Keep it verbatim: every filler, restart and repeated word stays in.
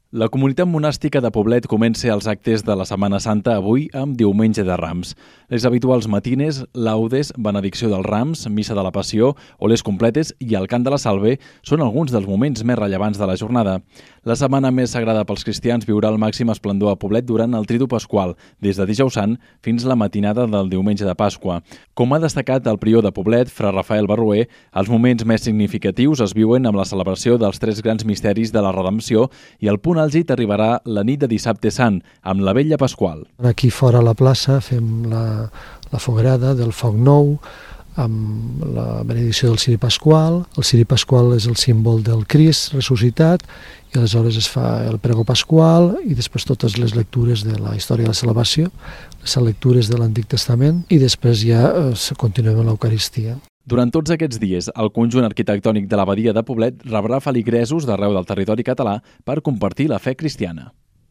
La comunitat monàstica de Poblet comença els actes de la Setmana Santa avui amb Diumenge de Rams. Les habituals matines, laudes, benedicció dels rams, missa de la Passió, oles completes i el cant de la Salve són alguns dels moments més rellevants de la jornada. La setmana més sagrada pels cristians viurà el màxim esplendor a Poblet durant el Tridu Pasqual, des de Dijous Sant fins la matinada del Diumenge de Pasqua. Com ha destacat el prior de Poblet, fra Rafael Barruer, els moments més significatius es viuen amb la celebració dels tres grans misteris de la Redempció i el punt àlgid arribarà la nit de Dissabte Sant, amb la Vetlla Pasqual. Aquí fora a la plaça fem la, la foguerada del foc nou, amb la benedicció del ciri pasqual. El ciri pasqual és el símbol del Crist ressuscitat i aleshores es fa el prego pasqual i després totes les lectures de la història de la salvació, les lectures de l'Antic Testament i després ja eh, continuem amb l'Eucaristia. Durant tots aquests dies, el conjunt arquitectònic de l'abadia de Poblet rebrà feligresos d'arreu del territori català per compartir la fe cristiana.